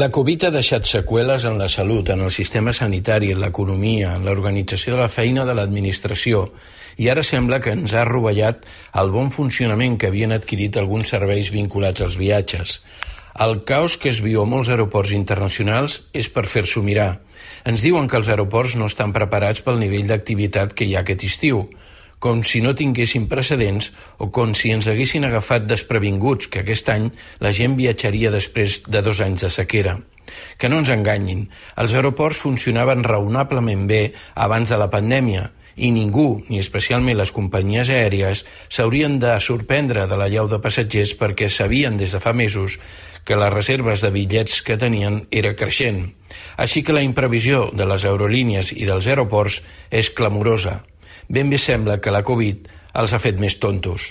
La Covid ha deixat seqüeles en la salut, en el sistema sanitari, en l'economia, en l'organització de la feina de l'administració, i ara sembla que ens ha rovellat el bon funcionament que havien adquirit alguns serveis vinculats als viatges. El caos que es viu a molts aeroports internacionals és per fer-s'ho mirar. Ens diuen que els aeroports no estan preparats pel nivell d'activitat que hi ha aquest estiu, com si no tinguessin precedents o com si ens haguessin agafat desprevinguts, que aquest any la gent viatjaria després de 2 anys de sequera. Que no ens enganyin, els aeroports funcionaven raonablement bé abans de la pandèmia i ningú, ni especialment les companyies aèries, s'haurien de sorprendre de l'allau de passatgers perquè sabien des de fa mesos que les reserves de bitllets que tenien era creixent. Així que la imprevisió de les aerolínies i dels aeroports és clamorosa. Ben bé sembla que la Covid els ha fet més tontos.